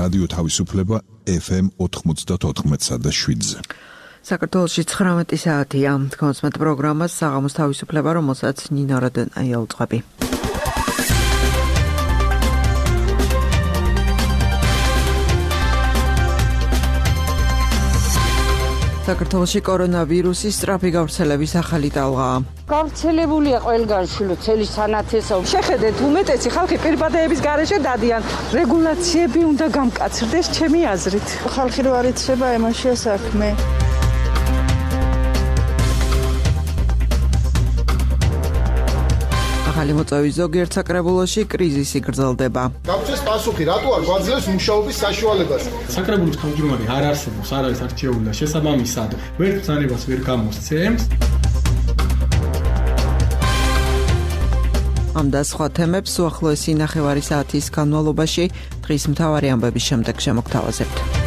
რადიო თავისუფლება FM 94.7-ზე. საქართველოში 19 საათია. კონსმეთ პროგრამას საღამოს თავისუფლება, რომელსაც ნინო როდენაია უწყები. საქართველოში კორონავირუსის სწრაფი გავრცელების ახალი ტალღა. გავრცელებულია ყველგან შილოცელი სანათესო. შეხედეთ, უმეტესი ხალხი პირბადეების გარეშე დადიან. რეგულაციები უნდა გამკაცრდეს ჩემი აზრით. ხალხი რო არ იცება, ემაშია საქმე. ახალი მოწვევის ზოგიერთ საკრებულოში კრიზისი გრძელდება. გაგვცეს პასუხი, რატო არ გვაძლევს მუშაობის საშუალებას? საკრებულოს თავმჯდომარე არ არსებობს, არ არის არჩეული და შესაბამისად ვერ ბრძანებას ვერ გამოსცემს. ამ და სხვა თემებს უახლოესი ნახევარი საათის განმავლობაში დღის მთავარი ამბების შემდეგ შემოგთავაზებთ.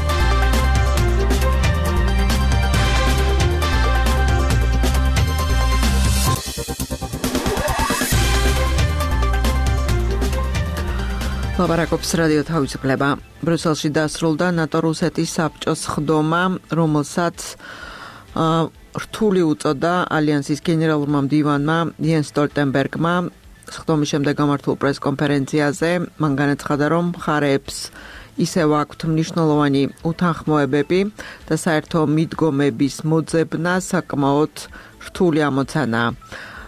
ლაპარაკობს რადიო თავისუფლება. ბრიუსელში დასრულდა ნატო-რუსეთის საბჭოს ხდომა, რომელსაც რთული უწოდა ალიანსის გენერალურმა მდივანმა იენს სტოლტენბერგმა. ხდომის შემდეგ გამართულ პრესკონფერენციაზე მან განაცხადა, რომ მხარეებს ისევ აქვთ მნიშვნელოვანი უთანხმოებები და საერთო მიდგომების მოძებნა საკმაოდ რთული ამოცანაა.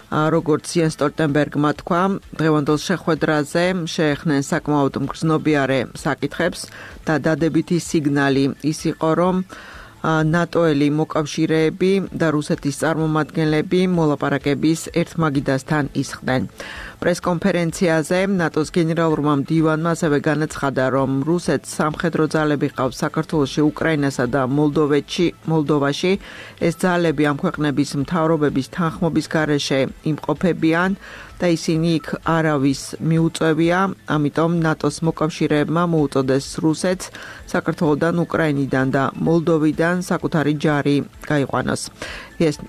როგორც იენს სტოლტენბერგმა თქვა, დღევანდელ შეხვედრაზე შეეხნენ საკმაოდ მგრძნობიარე საკითხებს და დადებითი სიგნალი ის იყო, რომ ნატოელი მოკავშირეები და რუსეთის წარმომადგენლები მოლაპარაკების ერთმაგიდასთან ისხდნენ. პრესკონფერენციაზე ნატოს გენერალურმა მდივანმა ასევე განაცხადა, რომ რუსეთს სამხედრო ძალები ყავს საქართველოში, უკრაინასა და მოლდოვაში. ეს ძალები ამ ქვეყნების მთავრობების თანხმობის გარეშე იმყოფებიან და ისინი იქ არავის მიუწევია, ამიტომ ნატოს მოკავშირეებმა მოუწოდეს რუსეთს საქართველოდან, უკრაინიდან და მოლდოვიდან საკუთარი ჯარი გაიყვანოს.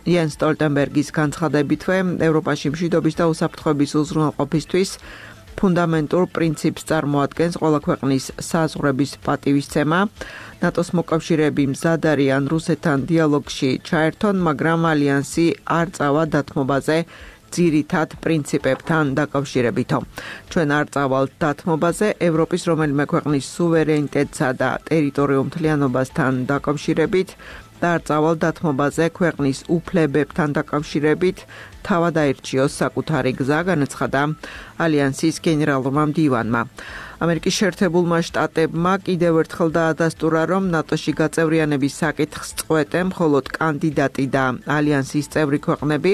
იენს სტოლტენბერგის განცხადებითვე ევროპაში მშვიდობის და უსაფრთხოების უზრუნველყოფისთვის ფუნდამენტურ პრინციპს წარმოადგენს ყველა ქვეყნის საზღვრების პატივისცემა. ნატოს მოკავშირეები მზად არიან რუსეთთან დიალოგში ჩაერთონ, მაგრამ ალიანსი არ წავა დათმობაზე ძირითად პრინციპებთან დაკავშირებითო. ჩვენ არ წავალთ დათმობაზე ევროპის რომელიმე ქვეყნის სუვერენიტეტსა და ტერიტორიულ მთლიანობასთან დაკავშირებით და არ წავალთ დათმობაზე ქვეყნის უფლებებთან დაკავშირებით, თავად აირჩიოს საკუთარი გზა, განაცხადა ალიანსის გენერალურმა მდივანმა. ამერიკის შეერთებულმა შტატებმა კიდევ ერთხელ დაადასტურა, რომ ნატოში გაწევრიანების საკითხს წყვეტენ მხოლოდ კანდიდატი და ალიანსის წევრი ქვეყნები.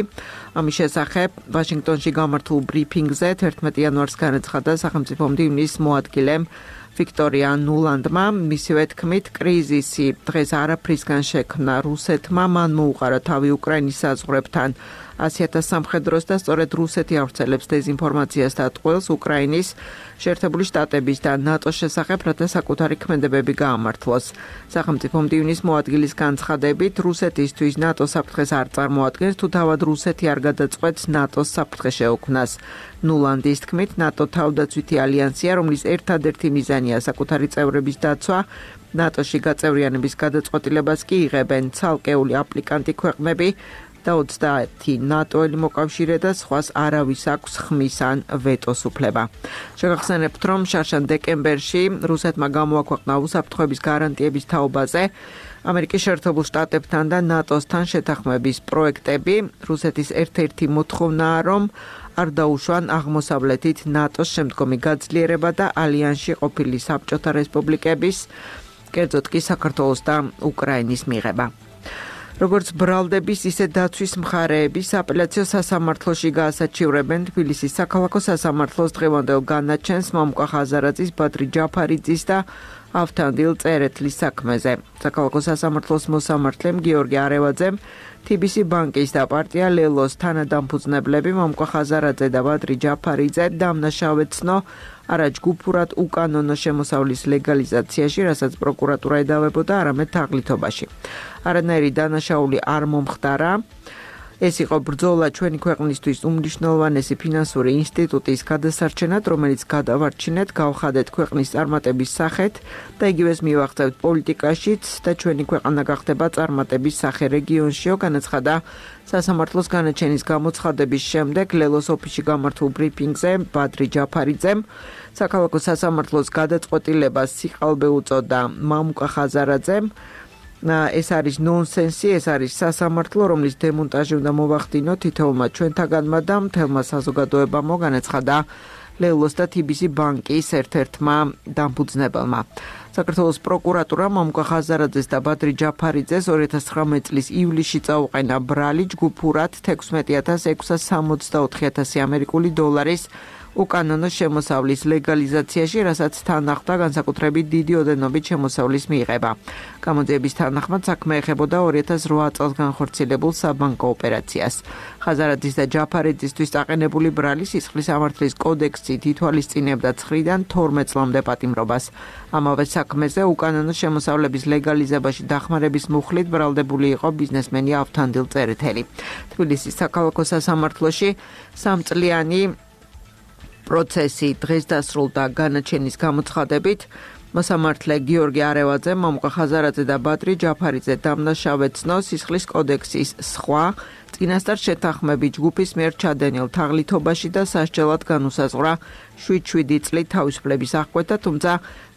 ამის შესახებ ვაშინგტონში გამართულ ბრიფინგზე 11 იანვარს განაცხადა სახელმწიფო მდივნის მოადგილემ ვიქტორია ნულანდმა. მისივე თქმით, კრიზისი დღეს არაფრისგან შექმნა რუსეთმა, მან მოუყარა თავი უკრაინის საზღვრებთან 100,000 სამხედროს და სწორედ რუსეთი ავრცელებს დეზინფორმაციას და ტყუილს უკრაინის, შეერთებული შტატების და ნატოს შესახებ, რათა საკუთარი ქმედებები გაამართლოს. სახელმწიფო მდივნის მოადგილის განცხადებით, რუსეთისთვის ნატოს საფრთხეს არ წარმოადგენს, თუ თავად რუსეთი არ გადაწყვეტს ნატოს საფრთხე შეუქმნას. ნულანდის თქმით, ნატო თავდაცვითი ალიანსია, რომლის ერთადერთი მიზანია საკუთარი წევრების დაცვა. ნატოში გაწევრიანების გადაწყვეტილებას კი იღებენ ცალკეული აპლიკანტი ქვეყნები და 30 ნატოელი მოკავშირე და სხვას არავის აქვს ხმის ან ვეტოს უფლება. შეგახსენებთ, რომ შარშან დეკემბერში რუსეთმა გამოაქვეყნა უსაფრთხოების გარანტიების თაობაზე ამერიკის შეერთებულ შტატებთან და ნატოსთან შეთანხმების პროექტები. რუსეთის ერთ-ერთი მოთხოვნაა, რომ არ დაუშვან აღმოსავლეთით ნატოს შემდგომი გაძლიერება და ალიანსში ყოფილი საბჭოთა რესპუბლიკების, კერძოდ კი საქართველოს და უკრაინის მიღება. როგორც ბრალდების, ისე დაცვის მხარეები სააპელაციო სასამართლოში გაასაჩივრებენ თბილისის საქალაქო სასამართლოს დღევანდელ განაჩენს მამუკა ხაზარაძის, ბადრი ჯაფარიძის და ავთანდილ წერეთლის საქმეზე. საქალაქო სასამართლოს მოსამართლემ გიორგი არევაძემ TBC ბანკის და პარტია ლელოს თანადამფუძნებლები მამუკა ხაზარაძე და ბადრი ჯაფარიძე დამნაშავეცნო არაჯგუფურად უკანონო შემოსავლის ლეგალიზაციაში, რასაც პროკურატურა ედავებოდა, არამედ თაღლითობაში. არანაირი დანაშაული არ მომხდარა. ეს იყო ბრძოლა ჩვენი ქვეყნისთვის უმნიშვნელოვანესი ფინანსური ინსტიტუტის გადასარჩენად, რომელიც გადავარჩინეთ, გავხადეთ ქვეყნის წარმატების სახეთ და იგივეს მივაღწევთ პოლიტიკაშიც და ჩვენი ქვეყანა გახდება წარმატების სახე რეგიონშიო, განაცხადა სასამართლოს განაჩენის გამოცხადების შემდეგ ლელოს ოფისში გამართულ ბრიფინგზე ბადრი ჯაფარიძემ საქალაქო სასამართლოს გადაწყვეტილებას სიყალბე უწოდა მამუკა ხაზარაძემ. ეს არის ნონსენსი, ეს არის სასამართლო, რომლის დემონტაჟი უნდა მოვახდინო თითოეულმა ჩვენთაგანმა და მთელმა საზოგადოებამ, განაცხადა ლელოს და TBC ბანკის ერთ-ერთმა დამფუძნებელმა. საქართველოს პროკურატურა მამუკა ხაზარაძეს და ბადრი ჯაფარიძეს 2019 წლის ივლისში წაუყენა ბრალი ჯგუფურად 16,664,000 ამერიკული დოლარის უკანონო შემოსავლის ლეგალიზაციაში, რასაც თან ახლდა განსაკუთრებით დიდი ოდენობით შემოსავლის მიღება. გამოძიების თანახმად საქმე ეხებოდა 2008 წელს განხორციელებულ საბანკო ოპერაციას. ხაზარაძის და ჯაფარიძისთვის დაყენებული ბრალი სისხლის სამართლის კოდექსით ითვალისწინებდა 9-დან 12 წლამდე პატიმრობას. ამავე საქმეზე უკანონო შემოსავლების ლეგალიზებაში დახმარების მუხლით ბრალდებული იყო ბიზნესმენი ავთანდილ წერეთელი. თბილისის საქალაქო სასამართლოში 3 წლიანი პროცესი დღეს დასრულდა განაჩენის გამოცხადებით. მოსამართლე გიორგი არევაძე, მამუკა ხაზარაძე და ბადრი ჯაფარიძე დამნაშავედ ცნო სისხლის კოდექსის სხვა წინასწარ შეთანხმებით ჯგუფის მიერ ჩადენილ თაღლითობაში და სასჯელად განუსაზღვრა 7 წლით თავისუფლების აღკვეთა, თუმცა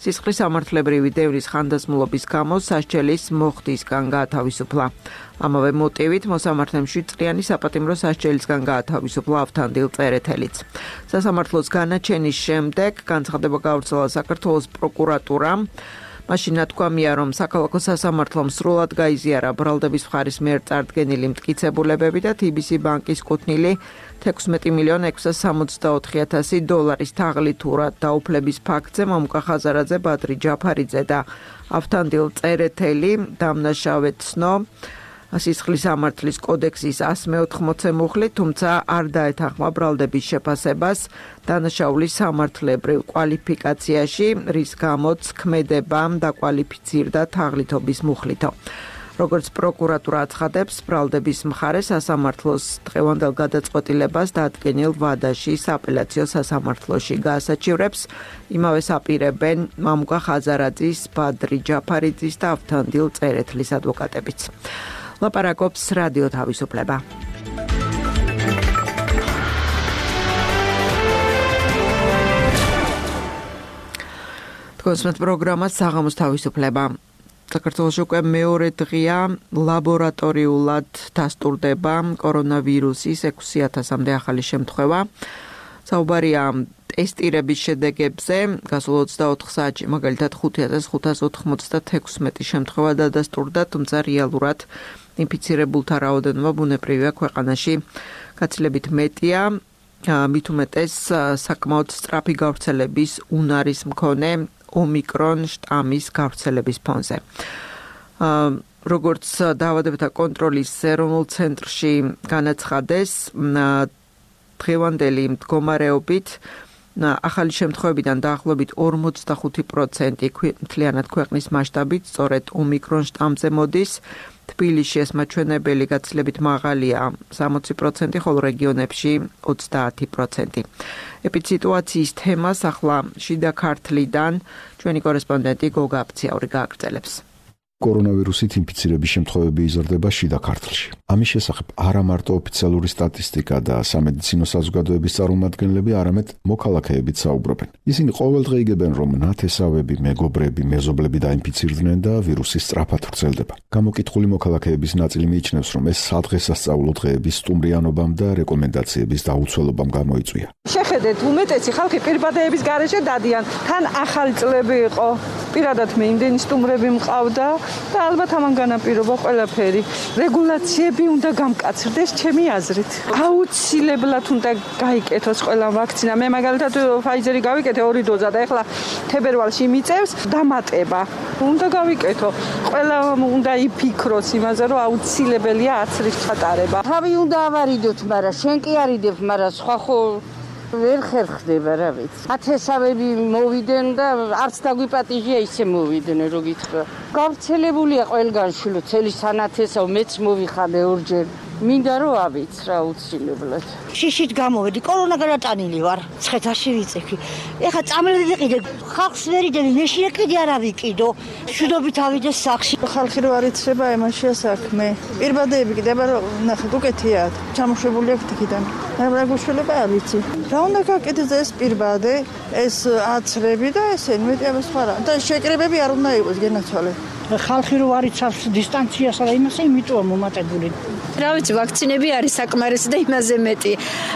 სისხლის სამართლებრივი დევნის ხანდაზმულობის გამო სასჯელის მოხდისგან გაათავისუფლა. ამავე მოტივით მოსამართლემ 7 წლიანი საპატიმრო სასჯელისგან გაათავისუფლა ავთანდილ წერეთელიც. სასამართლოს განაჩენის შემდეგ განცხადება გავრცელა საქართველოს პროკურატურამ. მაშინ ნათქვამია, რომ საქალაქო სასამართლომ სრულად გაიზიარა ბრალდების მხარის მიერ წარდგენილი მტკიცებულებები და TBC ბანკის კუთვნილი 16,664,000 დოლარის თაღლითურად დაუფლების ფაქტზე მამუკა ხაზარაძე, ბადრი ჯაფარიძე და ავთანდილ წერეთელი დამნაშავედ ცნო სისხლის სამართლის კოდექსის 180 მუხლით, თუმცა არ დაეთანხმა ბრალდების შეფასებას დანაშაულის სამართლებრივ კვალიფიკაციაში, რის გამოც ქმედებამ დაკვალიფიცირდა თაღლითობის მუხლითო. როგორც პროკურატურა აცხადებს, ბრალდების მხარე სასამართლოს დღევანდელ გადაწყვეტილებას დადგენილ ვადაში სააპელაციო სასამართლოში გაასაჩივრებს. იმავე აპირებენ მამუკა ხაზარაძის, ბადრი ჯაფარიძის და ავთანდილ წერეთლის ადვოკატებიც. ლაპარაკობს რადიო თავისუფლება. თქვენს პროგრამას საღამოს თავისუფლება. საქართველოში უკვე მეორე დღეა ლაბორატორიულად დასტურდება კორონავირუსის 6,000-მდე ახალი შემთხვევა. საუბარია ტესტირების შედეგებზე, გასულ 24 საათში მაგალითად 5,596 შემთხვევა დადასტურდა, თუმცა რეალურად ინფიცირებულთა რაოდენობა ბუნებრივია ქვეყანაში გაცილებით მეტია, მით უმეტეს საკმაოდ სწრაფი გავრცელების უნარის მქონე ომიკრონ შტამის გავრცელების ფონზე. როგორც დაავადებათა კონტროლის ეროვნულ ცენტრში განაცხადეს, დღევანდელი მდგომარეობით ახალი შემთხვევებიდან დაახლოებით 45% მთლიანად ქვეყნის მასშტაბით სწორედ ომიკრონ შტამზე მოდის. თბილისში ეს მაჩვენებელი გაცილებით მაღალია 60%, ხოლო რეგიონებში 30%. ეპიდსიტუაციის თემას ახლა შიდა ქართლიდან ჩვენი კორესპონდენტი გოგა აფციაური გააგრძელებს. კორონავირუსით ინფიცირების შემთხვევები იზრდება შიდა ქართლში. ამის შესახებ არა მარტო ოფიციალური სტატისტიკა და სამედიცინო საზოგადოების წარმომადგენლები, არამედ მოქალაქეებიც საუბრობენ. ისინი ყოველდღე იგებენ, რომ ნათესავები, მეგობრები, მეზობლები დაინფიცირდნენ და ვირუსი სწრაფად ვრცელდება. გამოკითხული მოქალაქეების ნაწილი მიიჩნევს, რომ ეს სადღესასწაულო დღეების სტუმრიანობამ და რეკომენდაციების დაუცველობამ გამოიწვია. შეხედეთ, უმეტესი ხალხი პირბადეების გარეშე დადიან. თან ახალი წლები იყო. პირადად მე იმდენი სტუმრები მყავდა და ალბათ ამან განაპირობა ყველაფერი. რეგულაციები უნდა გამკაცრდეს ჩემი აზრით. აუცილებლად უნდა გაიკეთოს ყველა ვაქცინა. მე მაგალითად ფაიზერი გავიკეთე 2 დოზა და ეხლა თებერვალში მიწევს დამატება. უნდა გავიკეთო. ყველა უნდა იფიქროს იმაზე, რომ აუცილებელია აცრის ჩატარება. თავი უნდა ავარიდოთ, მაგრამ შენ კი არიდებ, მაგრამ სხვა ხო ვერ ხერხდება რა ვიცი. ათესავები მოვიდნენ და არც დაგვიპატიჟია ისე მოვიდნენ, რო გითხრა. გავრცელებულია ყველგან შულო, წელი სანათესავ მეც მოვიხადე ორჯერ. მინდა რომ ავიცრა აუცილებლად. შიშით გამოვედი, კორონა გადატანილი ვარ. ცხედარში ვიწექი. ეხა წამლები ვიყიდე, ხალხს ვერ იდები, მეშინე კიდე არ ავიკიდო. შუდობით ავიდეს სახში. ხალხი რო არ იცრება, ემაშია საქმე. პირბადეები კიდევ ნახეთ, უკეთია. ჩამოშვებული აქვს იქიდან. რა გუშველება არ ვიცი. რა უნდა გაკეთდეს ეს პირბადე, ეს აცრები და ესენი მეტი ამას ხარა. და შეკრებები არ უნდა იყოს გენაცვალე. ხალხი რო არ იცავს დისტანციას და იმასე იმიტოა მომატებული. რა ვიცი, ვაქცინები არის საკმარისი და იმაზე მეტი.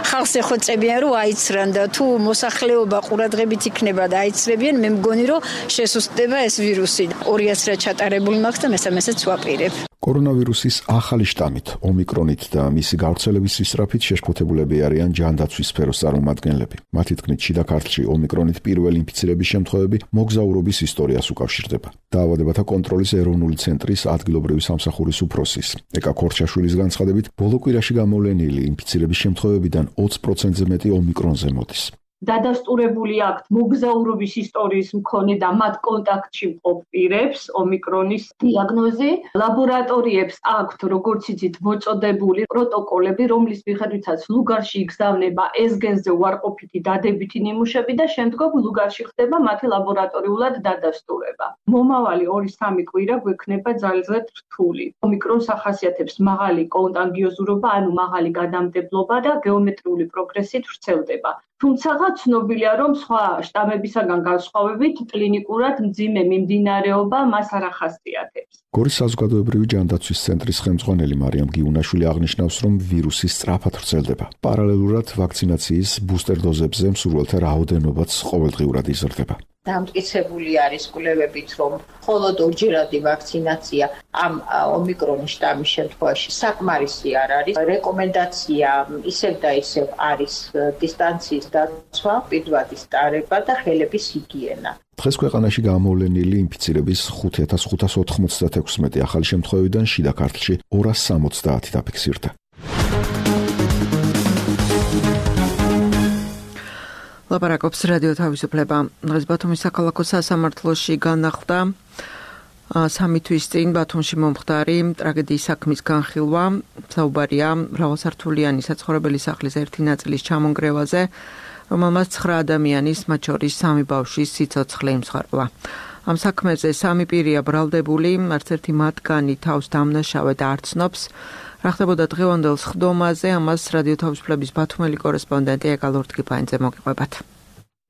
ხალხს ეხოწებიან რომ აიცრან და თუ მოსახლეობა ყურადღებით იქნება და აიცრებიან, მე მგონი რომ შესუსტდება ეს ვირუსი. 200-ს ჩატარებული მაქვს და მესამესაც ვაპირებ. კორონავირუსის ახალი შტამით, ომიკრონით და მისი გავრცელების სისწრაფით შეშფოთებულები არიან ჯანდაცვის სფეროს წარმომადგენლები. მათი თქმით, შიდა ქართლში ომიკრონით პირველი ინფიცირების შემთხვევები მოგზაურობის ისტორიას უკავშირდება. დაავადებათა კონტროლის ეროვნული ცენტრის ადგილობრივი სამსახურის უფროსის ეკა ქორჩაშვილის განცხადებით, ბოლო კვირაში გამოვლენილი ინფიცირების შემთხვევებიდან 20%-ზე მეტი ომიკრონზე მოდის. დადასტურებული აქვთ მოგზაურობის ისტორიის მქონე და მათ კონტაქტში მყოფ პირებს ომიკრონის დიაგნოზი. ლაბორატორიებს აქვთ, როგორც იცით, მოწოდებული პროტოკოლები, რომლის მიხედვითაც ლუგარში იგზავნება ეს გენზე უარყოფითი დადებითი ნიმუშები და შემდგომ ლუგარში ხდება მათი ლაბორატორიულად დადასტურება. მომავალი 2-3 კვირა გვექნება ძალზედ რთული. ომიკრონს ახასიათებს მაღალი კონტაგიოზურობა, ანუ მაღალი გადამტებლობა და გეომეტრიული პროგრესით ვრცელდება. თუმცა ცნობილია, რომ სხვა შტამებისაგან განსხვავებით კლინიკურად მძიმე მიმდინარეობა მას არ ახასიათებს. გორის საზოგადოებრივი ჯანდაცვის ცენტრის ხელმძღვანელი მარიამ გიუნაშვილი აღნიშნავს, რომ ვირუსი სწრაფად ვრცელდება. პარალელურად ვაქცინაციის ბუსტერ დოზებზე მსურველთა რაოდენობაც ყოველდღიურად იზრდება. დამტკიცებული არის კვლევებით, რომ მხოლოდ ორჯერადი ვაქცინაცია ამ ომიკრონის შტამის შემთხვევაში საკმარისი არ არის. რეკომენდაცია ისევ და ისევ არის დისტანციის დაცვა, პირვადის ტარება და ხელების ჰიგიენა. დღეს ქვეყანაში გამოვლენილი ინფიცირების 5596 ახალი შემთხვევიდან შიდა ქართლში 270 დაფიქსირდა. ლაპარაკობს რადიო თავისუფლება. დღეს ბათუმის საქალაქო სასამართლოში განახლდა 3 თვის წინ ბათუმში მომხდარი ტრაგედიის საქმის განხილვა. საუბარია მრავალსართულიანი საცხოვრებელი სახლის ერთი ნაწილის ჩამონგრევაზე, რომელმაც 9 ადამიანის, მათ შორის 3 ბავშვის სიცოცხლე იმსხვრევა. ამ საქმეზე 3 პირია ბრალდებული, არც ერთი მათგანი თავს დამნაშავედ არ ცნობს. რა ხდებოდა დღევანდელ სხდომაზე, ამას რადიო თავისუფლების ბათუმელი კორესპონდენტი ეკალორ ტკიპაინძე მოგიყვებათ.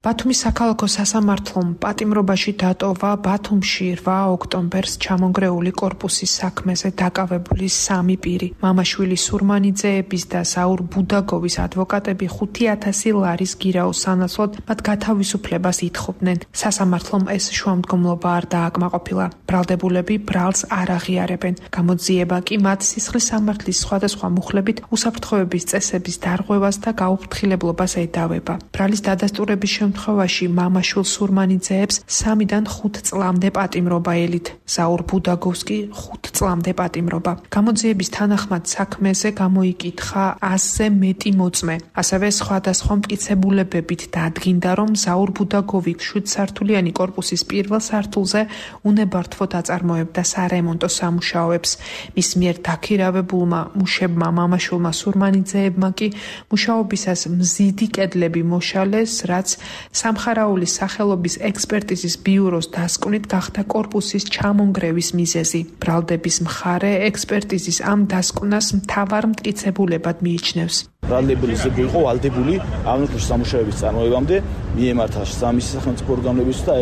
ბათუმის საქალაქო სასამართლომ პატიმრობაში დატოვა ბათუმში 8 ოქტომბერს ჩამონგრეული კორპუსის საქმეზე დაკავებული 3 პირი. მამაშვილი სურმანიძეების და ზაურ ბუდაგოვის ადვოკატები 5000 ლარის გირაოს სანაცვლოდ მათ გათავისუფლებას ითხოვდნენ. სასამართლომ ეს შუამდგომლობა არ დააკმაყოფილა. ბრალდებულები ბრალს არ აღიარებენ. გამოძიება კი მათ სისხლის სამართლის სხვადასხვა მუხლებით უსაფრთხოების წესების დარღვევას და გაუფრთხილებლობას ედავება. ბრალის დადასტურების შემთხვევაში მამაშვილ სურმანიძეებს 3-დან 5 წლამდე პატიმრობა ელით. ზაურ ბუდაგოვსკი 5 წლამდე პატიმრობა. გამოძიების თანახმად საქმეზე გამოიკითხა 100-ზე მეტი მოწმე. ასევე სხვადასხვა მტკიცებულებებით დადგინდა, რომ ზაურ ბუდაგოვი 7 სართულიანი კორპუსის პირველ სართულზე უნებართვოდ აწარმოებდა სარემონტო სამუშაოებს. მის მიერ დაქირავებულმა მუშებმა მამაშვილმა სურმანიძეებმა კი მუშაობისას მზიდი კედლები მოშალეს, რაც სამხარაულის სახელობის ექსპერტიზის ბიუროს დასკვნით გახდა კორპუსის ჩამონგრევის მიზეზი. ბრალდების მხარე ექსპერტიზის ამ დასკვნას მთავარ მტკიცებულებად მიიჩნევს. ბრალდებული ზებრ იყო ვალდებული აღნიშნული სამუშაოების წარმოებამდე მიემართა სამის სახელმწიფო ორგანოების და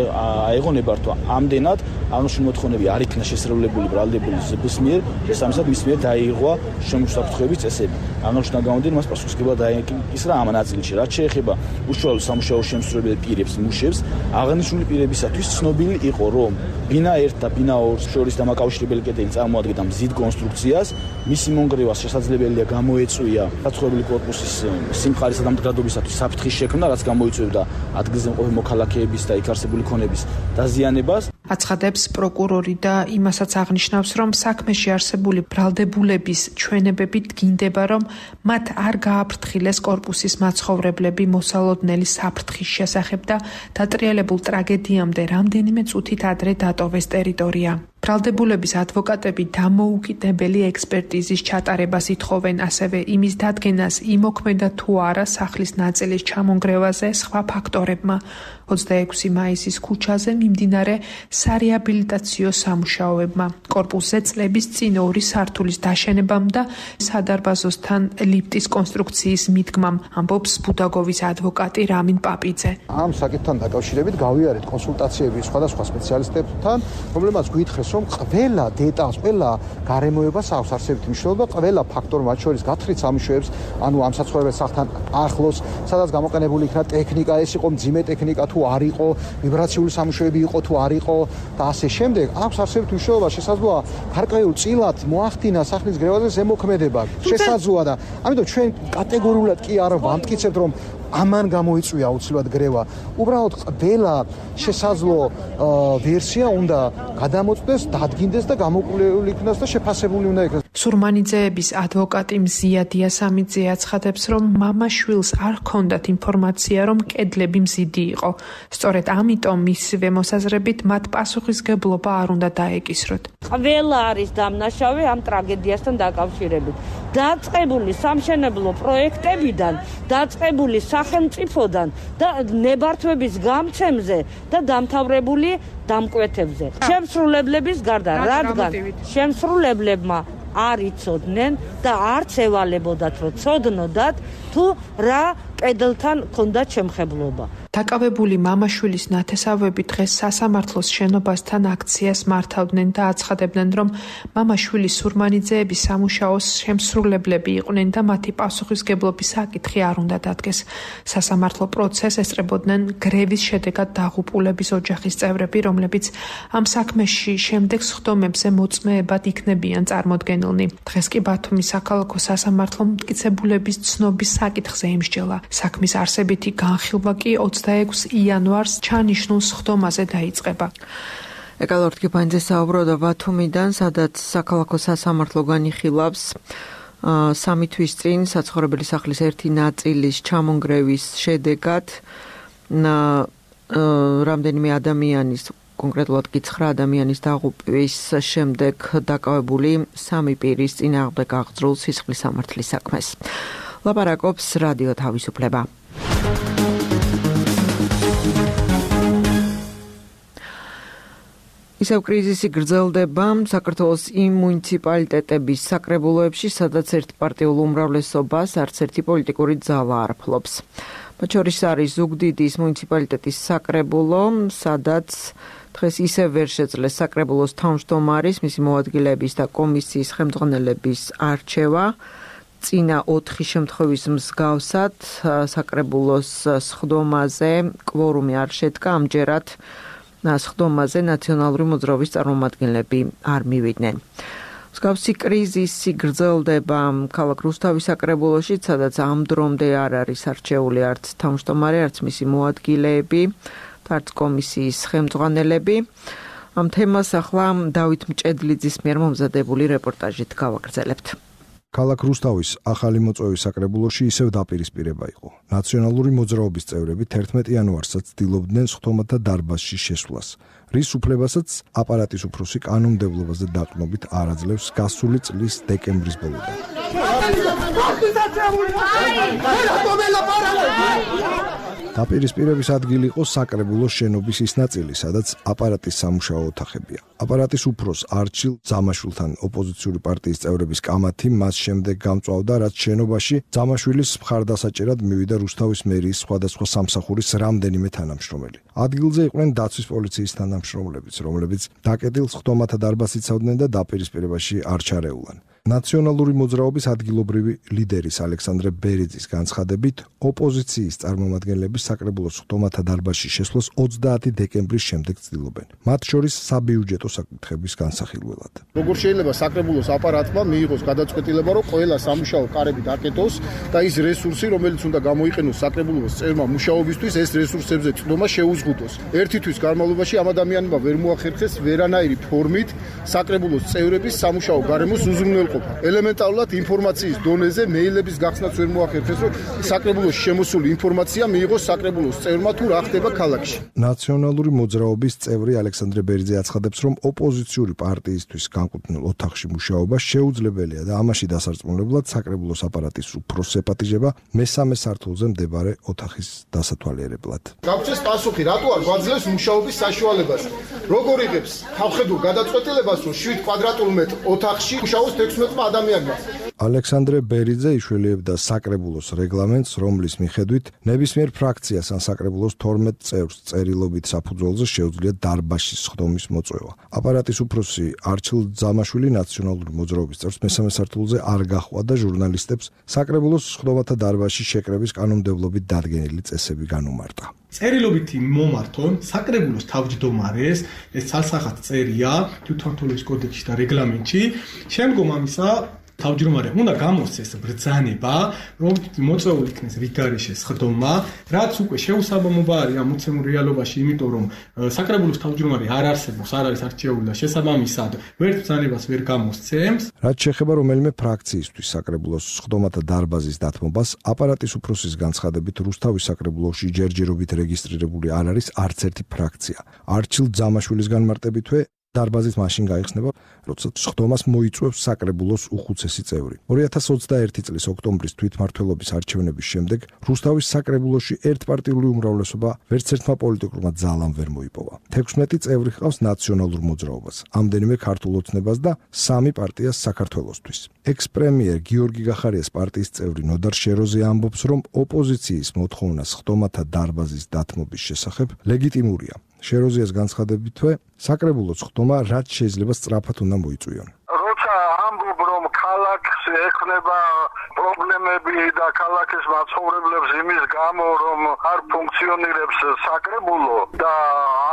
აიღო ნებართვა. ამდენად აღნიშნული მოთხოვნები არ იქნა შესრულებული ბრალდებული ზებრის მიერ, შესაბამისად მის მიერ დაიღო შემოსაფრთხოების წესები. აღნიშნული გამოდიან მას პასუხისმგებლად დაიკისრა ამ ნაწილში. რაც შეეხება უშუალო სამუშაო შემსრულებელ პირებს, მუშებს, აღნიშნული პირებისათვის ცნობილი იყო, რომ ბინა 1 და ბინა 2 შორის დამაკავშირებელი კედელი წარმოადგენდა მზიდ კონსტრუქციას, მისი მონგრევას შესაძლებელია გამოეწვია საცხოვრებელი კორპუსის სიმხარისა და მდგრადობისათვის საფრთხის შექმნა, რაც გამოიწვევდა ადგილზე მყოფი მოქალაქეების და იქ არსებული ქონების დაზიანებას. აცხადებს პროკურორი და იმასაც აღნიშნავს, რომ საქმეში არსებული ბრალდებულების ჩვენებები დგინდება, რომ მათ არ გააფრთხილეს კორპუსის მაცხოვრებლები მოსალოდნელი საფრთხის შესახებ და დატრიალებულ ტრაგედიამდე რამდენიმე წუთით ადრე დატოვეს ტერიტორია. ბრალდებულების ადვოკატები დამოუკიდებელი ექსპერტიზის ჩატარებას ითხოვენ, ასევე იმის დადგენას იმოქმედა თუ არა სახლის ნაწილის ჩამონგრევაზე სხვა ფაქტორებმა. 26 მაისის ქუჩაზე მიმდინარე სარეაბილიტაციო სამუშაოებმა, კორპუსზე წლების წინ 2 სართულის დაშენებამ და სადარბაზოსთან ლიფტის კონსტრუქციის მიდგმამ, ამბობს ბუდაგოვის ადვოკატი რამინ პაპიძე. ამ საკითხთან დაკავშირებით გავიარეთ კონსულტაციები სხვადასხვა სპეციალისტებთან, რომლებმაც გვითხრეს, რომ ყველა დეტალს, ყველა გარემოებას აქვს არსებითი მნიშვნელობა, ყველა ფაქტორი, მათ შორის გათხრით სამუშაოებს, ანუ ამ საცხოვრებელ სახლთან ახლოს, სადაც გამოყენებული იქნა ტექნიკა, ეს იყო მძიმე ტექნიკა თუ არ იყო, ვიბრაციული სამუშაოები იყო თუ არ იყო და ასე შემდეგ, აქვს არსებითი მნიშვნელობა, შესაძლოა გარკვეულ წილად მოახდინა სახლის გრევაზე ზემოქმედება, შესაძლოა და ამიტომ ჩვენ კატეგორიულად კი არ ვამტკიცებთ, რომ ამან გამოიწვია აუცილებლად გრევა. უბრალოდ ყველა შესაძლო ვერსია უნდა გადამოწდეს, დადგინდეს და გამოკვლეული იქნას და შეფასებული უნდა იქნას. სურმანიძეების ადვოკატი მზია დიასამიძე აცხადებს, რომ მამაშვილს არ ჰქონდათ ინფორმაცია, რომ კედლები მზიდი იყო. სწორედ ამიტომ მისივე მოსაზრებით მათ პასუხისგებლობა არ უნდა დაეკისროთ. ყველა არის დამნაშავე ამ ტრაგედიასთან დაკავშირებით. დაწყებული სამშენებლო პროექტებიდან, დაწყებული სახელმწიფოდან და ნებართვების გამცემზე და დამთავრებული დამკვეთებზე. შემსრულებლების გარდა, რადგან შემსრულებლებმა არ იცოდნენ და არც ევალებოდათ, რომ ცოდნოდათ თუ რა კედელთან ჰქონდათ შემხებლობა. დაკავებული მამაშვილის ნათესავები დღეს სასამართლოს შენობასთან აქციას მართავდნენ და აცხადებდნენ, რომ მამაშვილის სურმანიძეების სამუშაოს შემსრულებლები იყვნენ და მათი პასუხისგებლობის საკითხი არ უნდა დადგეს. სასამართლო პროცესს ესწრებოდნენ გრევის შედეგად დაღუპულების ოჯახის წევრები, რომლებიც ამ საქმეში შემდეგ სხდომებზე მოწმეებად იქნებიან წარმოდგენილნი. დღეს კი ბათუმის საქალაქო სასამართლომ მტკიცებულების ცნობის საკითხზე იმსჯელა. საქმის არსებითი განხილვა კი 26 იანვარს ჩანიშნულ სხდომაზე დაიწყება. ეკალორდ კიფანძე საუბრობდა ბათუმიდან, სადაც საქალაქო სასამართლო განიხილავს 3 თვის წინ საცხოვრებელი სახლის ერთი ნაწილის ჩამონგრევის შედეგად რამდენიმე ადამიანის, კონკრეტულად კი 9 ადამიანის დაღუპვის შემდეგ დაკავებული 3 პირის წინააღმდეგ აღძრულ სისხლის სამართლის საქმეს. ლაპარაკობს რადიო თავისუფლება. ისევ კრიზისი გრძელდება საქართველოს იმ მუნიციპალიტეტების საკრებულოებში, სადაც ერთპარტიულ უმრავლესობას არც ერთი პოლიტიკური ძალა არ ფლობს. მათ შორის არის ზუგდიდის მუნიციპალიტეტის საკრებულო, სადაც დღეს ისევ ვერ შეძლეს საკრებულოს თავმჯდომარის, მისი მოადგილეების და კომისიის ხელმძღვანელების არჩევა. წინა 4 შემთხვევის მსგავსად საკრებულოს სხდომაზე კვორუმი არ შედგა, ამჯერად სხდომაზე ნაციონალური მოძრაობის წარმომადგენლები არ მივიდნენ. მსგავსი კრიზისი გრძელდება ქალაქ რუსთავის საკრებულოში, სადაც ამ დრომდე არ არის არჩეული არც თავმჯდომარე, არც მისი მოადგილეები, არც კომისიის ხელმძღვანელები. ამ თემას ახლა დავით მჭედლიძის მიერ მომზადებული რეპორტაჟით გავაგრძელებთ. ქალაქ რუსთავის ახალი მოწვევის საკრებულოში ისევ დაპირისპირება იყო. ნაციონალური მოძრაობის წევრები 11 იანვარსაც ცდილობდნენ სხდომათა დარბაზში შესვლას, რის უფლებასაც აპარატის უფროსი კანონმდებლობაზე დაყრდნობით არ აძლევს გასული წლის დეკემბრის ბოლოდან. დაპირისპირების ადგილი იყო საკრებულოს შენობის ის ნაწილი, სადაც აპარატის სამუშაო ოთახებია. აპარატის უფროს არჩილ ძამაშვილთან ოპოზიციური პარტიის წევრების კამათი მას შემდეგ გამწვავდა, რაც შენობაში ძამაშვილის მხარდასაჭერად მივიდა რუსთავის მერიის სხვადასხვა სამსახურის რამდენიმე თანამშრომელი. ადგილზე იყვნენ დაცვის პოლიციის თანამშრომლებიც, რომლებიც დაკეტილ სხდომათა დარბაზს იცავდნენ და დაპირისპირებაში არ ჩარეულან. ნაციონალური მოძრაობის ადგილობრივი ლიდერის ალექსანდრე ბერიძის განცხადებით, ოპოზიციის წარმომადგენლები საკრებულოს ხდომათა დარბაზში შესვლას 30 დეკემბრის შემდეგ ცდილობენ. მათ შორის საბიუჯეტო საკითხების განსახილველად. როგორ შეიძლება საკრებულოს აპარატმა მიიღოს გადაწყვეტილება, რომ ყველა სამუშაო კარები დაკეტოს და ის რესურსი, რომელიც უნდა გამოიყენოს საკრებულოს წევრმა მუშაობისთვის, ეს რესურსებზე წვდომა შეუზღუდოს. ერთი თვის განმავლობაში ამ ადამიანებმა ვერ მოახერხეს ვერანაირი ფორმით საკრებულოს წევრების სამუშაო გარემოს უზრუნველყოფა. ელემენტარულად ინფორმაციის დონეზე მეილების გახსნაც ვერ მოახერხეს, რომ საკრებულოს შემოსული ინფორმაცია მიიღოს საკრებულოს წევრმა თუ რა ხდება ქალაქში. ნაციონალური მოძრაობის წევრი ალექსანდრე ბერიძე აცხადებს, რომ ოპოზიციური პარტიისთვის განკუთვნილ ოთახში მუშაობა შეუძლებელია და ამაში დასარწმუნებლად საკრებულოს აპარატის უფროს ეპატიჟება მესამე სართულზე მდებარე ოთახის დასათვალიერებლად. გაგვცეს პასუხი, რატო არ გვაძლევს მუშაობის საშუალებას? როგორ იღებს თავხედურ გადაწყვეტილებას, რომ 7 კვადრატულ მეტრ ოთახში მუშაობს 16 ადამიანმა? ალექსანდრე ბერიძე იშველიებდა საკრებულოს რეგლამენტს, რომლის მიხედვით ნებისმიერ ფრაქციას ან საკრებულოს 12 წევრს წერილობით საფუძველზე შეუძლია დარბაზში სხდომის მოწვევა. აპარატის უფროსი არჩილ ძამაშვილი ნაციონალური მოძრაობის წევრს მესამე სართულზე არ გაჰყვა და ჟურნალისტებს საკრებულოს სხდომათა დარბაზში შეკრების კანონმდებლობით დადგენილი წესები განუმარტა. წერილობითი მომართონ საკრებულოს თავმჯდომარეს, ეს ცალსახად წერია თვითმმართველობის კოდექსში და რეგლამენტში. შემდგომ ამისა თავმჯდომარე უნდა გამოსცეს ბრძანება, რომ მოწვეულ იქნეს რიგგარეშე სხდომა, რაც უკვე შეუსაბამობა არის ამ მოცემულ რეალობაში, იმიტომ რომ საკრებულოს თავმჯდომარე არ არსებობს, არ არის არჩეული და შესაბამისად ვერც ბრძანებას ვერ გამოსცემს. რაც შეეხება რომელიმე ფრაქციისთვის საკრებულოს სხდომათა დარბაზის დათმობას, აპარატის უფროსის განცხადებით რუსთავის საკრებულოში ჯერჯერობით რეგისტრირებული არ არის არც ერთი ფრაქცია. არჩილ ძამაშვილის განმარტებითვე დარბაზით მაშინ გაიხსნება, როცა სხდომას მოიწვევს საკრებულოს უხუცესი წევრი. 2021 წლის ოქტომბრის თვითმმართველობის არჩევნების შემდეგ რუსთავის საკრებულოში ერთპარტიული უმრავლესობა ვერც ერთმა პოლიტიკურმა ძალამ ვერ მოიპოვა. 16 წევრი ჰყავს ნაციონალურ მოძრაობას, ამდენიმე ქართულ ოცნებას და 3 პარტიას საქართველოსთვის. ექს-პრემიერ გიორგი გახარიას პარტიის წევრი ნოდარ შეროზე ამბობს, რომ ოპოზიციის მოთხოვნა სხდომათა დარბაზის დათმობის შესახებ ლეგიტიმურია. შეროზიას განცხადებითვე საკრებულოს სხდომა რაც შეიძლება სწრაფად უნდა მოიწვიონ. როცა ამბობ რომ ქალაქს ექნება პრობლემები და ქალაქის მაცხოვრებლებს იმის გამო რომ არ ფუნქციონირებს საკრებულო და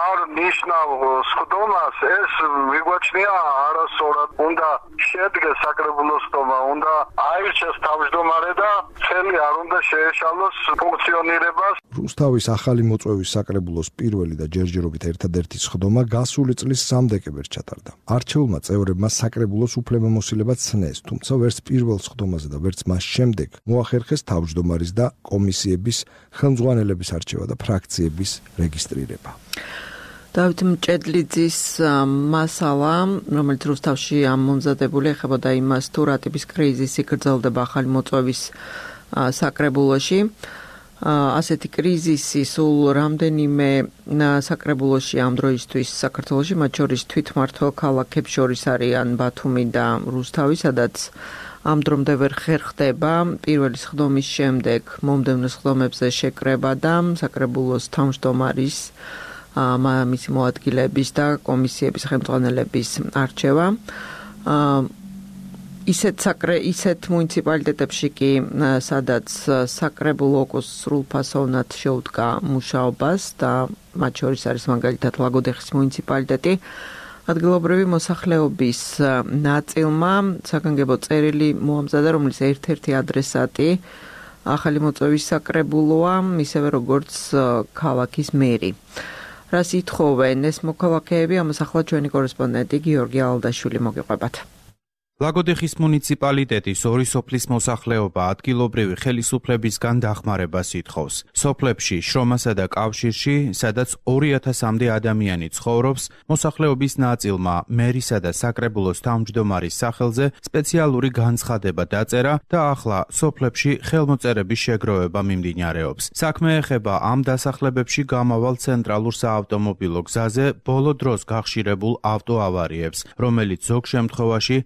არ ნიშნავ სხდომას, ეს მიგვაჩნია არასწორად. უნდა შედგეს საკრებულოს სხდომა, უნდა აირჩეს თავმჯდომარე და წელი არ უნდა შეეშალოს ფუნქციონირებას. რუსთავის ახალი მოწვევის საკრებულოს პირველი და ჯერჯერობით ერთადერთი სხდომა გასული წლის 3 დეკემბერს ჩატარდა. არჩეულმა წევრებმა საკრებულოს უფლებამოსილება ცნეს, თუმცა ვერც პირველ სხდომაზე და ვერც მას შემდეგ მოახერხეს თავმჯდომარის და კომისიების ხელმძღვანელების არჩევა და ფრაქციების რეგისტრირება. დავით მჭედლიძის მასალა, რომელიც რუსთავში მომზადებული ეხებოდა იმას, თუ რა ტიპის კრიზისი გრძელდება ახალი მოწვევის საკრებულოში. ასეთი კრიზისი სულ რამდენიმე საკრებულოში ამ დროისთვის საქართველოში, მათ შორის თვითმმართველ ქალაქებს შორის არიან ბათუმი და რუსთავი, სადაც ამ დრომდე ვერ ხერხდება პირველი სხდომის შემდეგ მომდევნო სხდომებზე შეკრება და საკრებულოს თავმჯდომარის მისი მოადგილების და კომისიების ხელმძღვანელების არჩევა. ისეთ მუნიციპალიტეტებში კი, სადაც საკრებულო სრულფასოვნად შეუდგა მუშაობას და მათ შორის არის მაგალითად ლაგოდეხის მუნიციპალიტეტი, ადგილობრივი მოსახლეობის ნაწილმა საგანგებო წერილი მოამზადა, რომლის ერთ-ერთი ადრესატი ახალი მოწვევის საკრებულოა, ისევე როგორც ქალაქის მერი. რას ითხოვენ ეს მოქალაქეები, ამას ახლა ჩვენი კორესპონდენტი გიორგი ალდაშვილი მოგიყვებათ. ლაგოდეხის მუნიციპალიტეტის 2 სოფლის მოსახლეობა ადგილობრივი ხელისუფლებისგან დახმარებას ითხოვს. სოფლებში, შრომასა და კავშირში, სადაც 2000-მდე ადამიანი ცხოვრობს, მოსახლეობის ნაწილმა მერისა და საკრებულოს თავმჯდომარის სახელზე სპეციალური განცხადება დაწერა და ახლა სოფლებში ხელმოწერების შეგროვება მიმდინარეობს. საქმე ეხება ამ დასახლებებში გამავალ ცენტრალურ საავტომობილო გზაზე ბოლო დროს გახშირებულ ავტოავარიებს, რომელიც ზოგ შემთხვევაში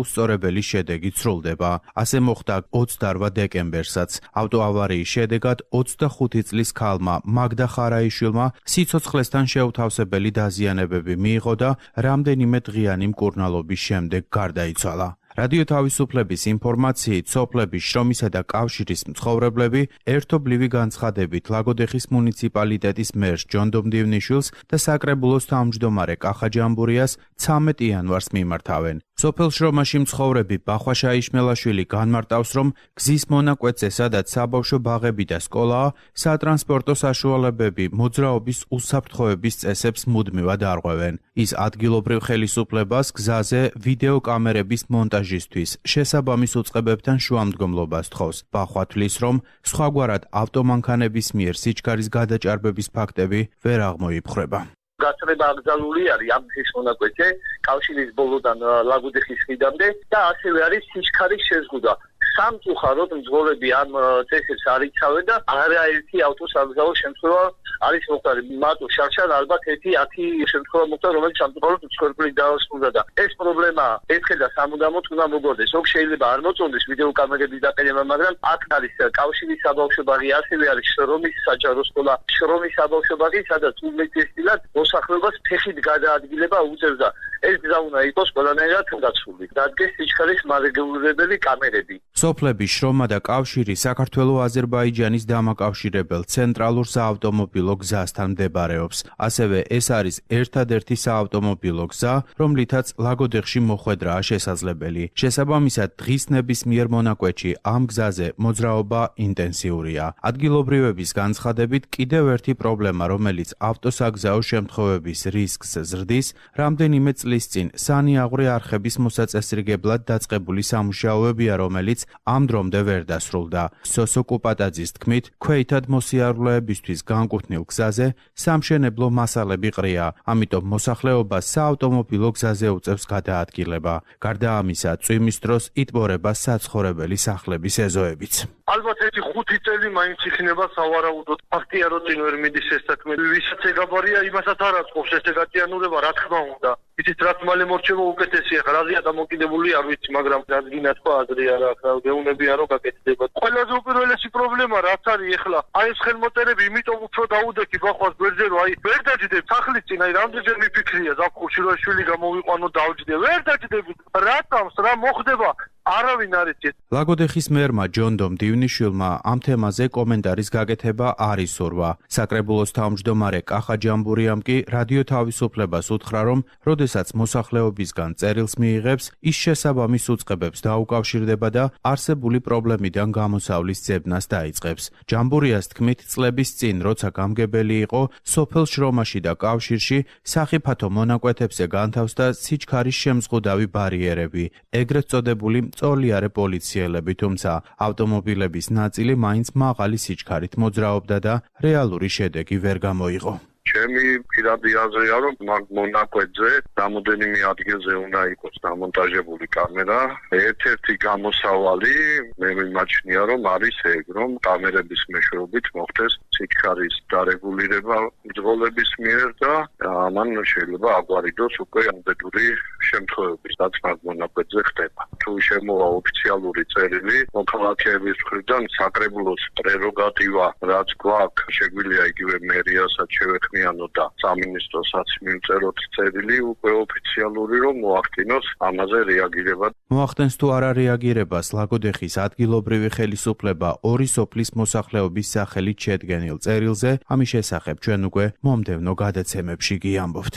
უსწორებელი შედეგით სრულდება. ასე მოხდა 28 დეკემბერსაც. ავტოავარიის შედეგად 25 წლის ქალმა მაგდა ხარაიშვილმა სიცოცხლესთან შეუთავსებელი დაზიანებები მიიღო და რამდენიმე დღიანი მკურნალობის შემდეგ გარდაიცვალა. რადიო თავისუფლების ინფორმაციით, სოფლების შრომისა და კავშირის მცხოვრებლები ერთობლივი განცხადებით ლაგოდეხის მუნიციპალიტეტის მერს ჯონდომ დივნიშვილს და საკრებულოს თავმჯდომარე კახა ჯამბურიას 13 იანვარს მიმართავენ. სოფელ შრომაში მცხოვრები ბახვა შაიშმელაშვილი განმარტავს, რომ გზის მონაკვეთზე, სადაც საბავშვო ბაღები და სკოლაა, სატრანსპორტო საშუალებები მოძრაობის უსაფრთხოების წესებს მუდმივად არღვევენ. ის ადგილობრივ ხელისუფლებას გზაზე ვიდეო კამერების მონტაჟისთვის შესაბამის უწყებებთან შუამდგომლობას თხოვს. ბახვა თვლის, რომ სხვაგვარად ავტომანქანების მიერ სიჩქარის გადაჭარბების ფაქტები ვერ აღმოიფხვრება. გასწრება აკრძალული არის ამ გზის მონაკვეთზე, კავშირის ბოლოდან ლაგოდეხის ხიდამდე და ასევე არის სიჩქარის შეზღუდვა. სამწუხაროდ მძღოლები ამ წესებს არ იცავენ და არაერთი ავტოსაგზაო შემთხვევა არის მოხდარი. მარტო შარშან ალბათ 1-10 შემთხვევა მოხდა, რომელიც სამწუხაროდ მსხვერპლით დაასრულა და ეს პრობლემა ერთხელ და სამუდამოდ უნდა მოგვარდეს. ოღ შეიძლება არ მოწონდეს ვიდეო კამერების დაყენება, მაგრამ აქ არის კავშირის საბავშვო ბაღი, ასევე არის შრომის საჯარო სკოლა, შრომის საბავშვო ბაღი, სადაც უმეტესად მოსახლეობას ფეხით გადაადგილება უწევდა. ეს გზა უნდა იყოს ყველანაირად გაცვლილი. დადგეს სიჩქარის მარეგულირებელი კამერები. სოფლების შრომა და კავშირი საქართველო-აზერბაიჯანის დამაკავშირებელ ცენტრალურ საავტომობილო გზასთან მდებარეობს. ასევე ეს არის ერთადერთი საავტომობილო გზა, რომლითაც ლაგოდეხში მოხვედრაა შესაძლებელი. შესაბამისად, დღის ნებისმიერ მონაკვეთში ამ გზაზე მოძრაობა ინტენსიურია. ადგილობრივების განცხადებით, კიდევ ერთი პრობლემა, რომელიც ავტოსაგზაო შემთხვევების რისკს ზრდის, რამდენიმე წლის წინ სანიაღვრე არხების მოსაწესრიგებლად დაწყებული სამუშაოებია, რომელიც ამ დრომდე ვერ დასრულდა. სოსო კუპატაძის თქმით, ქვეითად მოსიარულეებისთვის განკუთვნილ გზაზე სამშენებლო მასალები ყრია, ამიტომ მოსახლეობას საავტომობილო გზაზე უწევს გადაადგილება. გარდა ამისა, წვიმის დროს იტბორება საცხოვრებელი სახლების ეზოებიც. ალბათ ერთი 5 წელი მაინც იქნება სავარაუდოდ. ფაქტია, რომ წინ ვერ მიდის ეს საქმე. ვისაც ეგაბარია, იმასაც არ აწყობს ეს ეგატიანურება, რა თქმა უნდა. იცით, რაც მალე მორჩება უკეთესია. რაზეა დამოკიდებული, არ ვიცი, მაგრამ რადგინა თქვა აზრი არა აქვს, გეუნებია რომ გაკეთდება. ყველაზე უპირველესი პრობლემა რაც არის ეხლა, აი ეს ხელმოწერები, იმიტომ უფრო დაუდექი ბახვას გვერდზე, რომ აი ვერ დაჯდებ სახლის წინ, აი რამდენჯერ მიფიქრია ზაფხულში რომ შვილი გამოვიყვანო დავჯდე, ვერ დაჯდები. რატომს რა მოხდება? არავინ არ იცით. ლაგოდეხის მერმა ჯონდომ დივნიშვილმა ამ თემაზე კომენტარის გაკეთება არ ისურვა. საკრებულოს თავმჯდომარე კახა ჯამბურიამ კი რადიო თავისუფლებას უთხრა, რომ როდესაც მოსახლეობისგან წერილს მიიღებს, ის შესაბამის უწყებებს დაუკავშირდება და არსებული პრობლემიდან გამოსავლის ძებნას დაიწყებს. ჯამბურიას თქმით, წლების წინ, როცა გამგებელი იყო, სოფელ შრომაში და კავშირში სახიფათო მონაკვეთებზე განთავსდა სიჩქარის შემზღუდავი ბარიერები, ეგრეთ წოდებული მწოლიარე პოლიციელები, თუმცა ავტომობილების ნაწილი მაინც მაღალი სიჩქარით მოძრაობდა და რეალური შედეგი ვერ გამოიღო. ჩემი პირადი აზრია, რომ მონაკვეთზე რამოდენიმე ადგილზე უნდა იყოს დამონტაჟებული კამერა. ერთ-ერთი გამოსავალი მე მიმაჩნია, რომ არის ეგ, რომ კამერების მეშვეობით მოხდეს სიჩქარის დარეგულირება მძღოლების მიერ და ამან შეიძლება აგვარიდოს უკვე ამდენური შემთხვევები, რაც მონაკვეთზე ხდება. თუ შემოვა ოფიციალური წერილი მოქალაქეების მხრიდან, საკრებულოს პრეროგატივა, რაც გვაქვს, შეგვიძლია იგივე მერიასაც შევეხმიანო და სამინისტროსაც მივწეროთ წერილი უკვე ოფიციალური, რომ მოახდინოს ამაზე რეაგირება. მოახდენს თუ არა რეაგირებას ლაგოდეხის ადგილობრივი ხელისუფლება ორი სოფლის მოსახლეობის სახელით შედგენილ წერილზე, ამის შესახებ ჩვენ უკვე მომდევნო გადაცემებში გიამბობთ.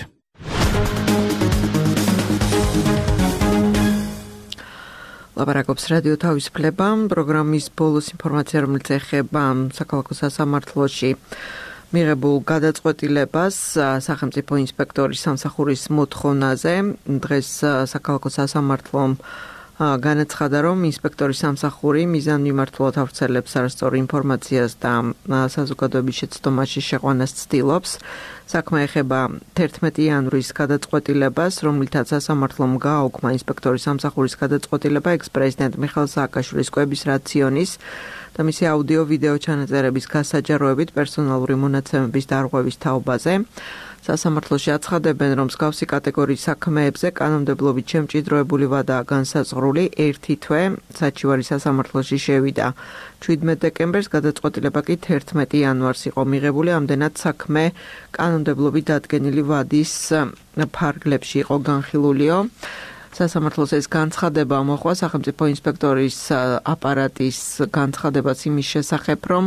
ლაპარაკობს რადიო თავისუფლება, პროგრამის ბოლოს ინფორმაცია, რომელიც ეხება საქალაქო სასამართლოში მიღებულ გადაწყვეტილებას სახელმწიფო ინსპექტორის სამსახურის მოთხოვნაზე. დღეს საქალაქო სასამართლომ განაცხადა, რომ ინსპექტორის სამსახური მიზანმიმართულად ავრცელებს არასწორ ინფორმაციას და საზოგადოების შეცდომაში შეყვანას ცდილობს. საქმე ეხება 11 იანვრის გადაწყვეტილებას, რომლითაც სასამართლომ გააუქმა ინსპექტორის სამსახურის გადაწყვეტილება ექს-პრეზიდენტ მიხეილ სააკაშვილის კვების რაციონის და მისი აუდიო-ვიდეო ჩანაწერების გასაჯაროებით პერსონალური მონაცემების დარღვევის თაობაზე. სასამართლოში აცხადებენ, რომ მსგავსი კატეგორიის საქმეებზე კანონმდებლობით შემჭიდროებული ვადაა განსაზღვრული 1 თვე, საჩივარი სასამართლოში შევიდა 17 დეკემბერს, გადაწყვეტილება კი 11 იანვარს იყო მიღებული, ამდენად საქმე კანონმდებლობით დადგენილი ვადის ფარგლებში იყო განხილულიო. სასამართლოს ეს განცხადება მოხდა სახელმწიფო ინსპექტორის აპარატის განცხადებაც იმის შესახებ, რომ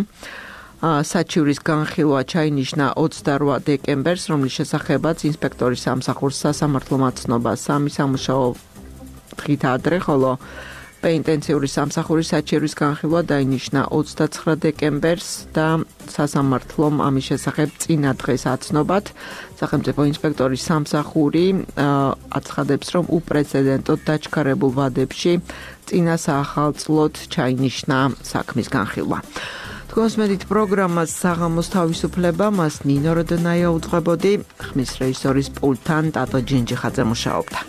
საჩივრის განხილვა ჩაინიშნა 28 დეკემბერს, რომლის შესახებაც ინსპექტორის სამსახურს სასამართლომ აცნობა 3 სამუშაო დღით ადრე, ხოლო პენიტენციური სამსახურის საჩივრის განხილვა დაინიშნა 29 დეკემბერს და სასამართლომ ამის შესახებ წინა დღეს აცნობად სახელმწიფო ინსპექტორის სამსახური აცხადებს, რომ უპრეცედენტოდ დაჩქარებულ ვადებში წინა საახალწლოდ ჩაინიშნა საქმის განხილვა. თქვენს მედით პროგრამას საღამოს თავისუფლება, მას ნინო როდონაია უძღვებოდი, ხმის რეჟისორის პულტთან ტატო ჯინჯიხაძე მუშაობდა.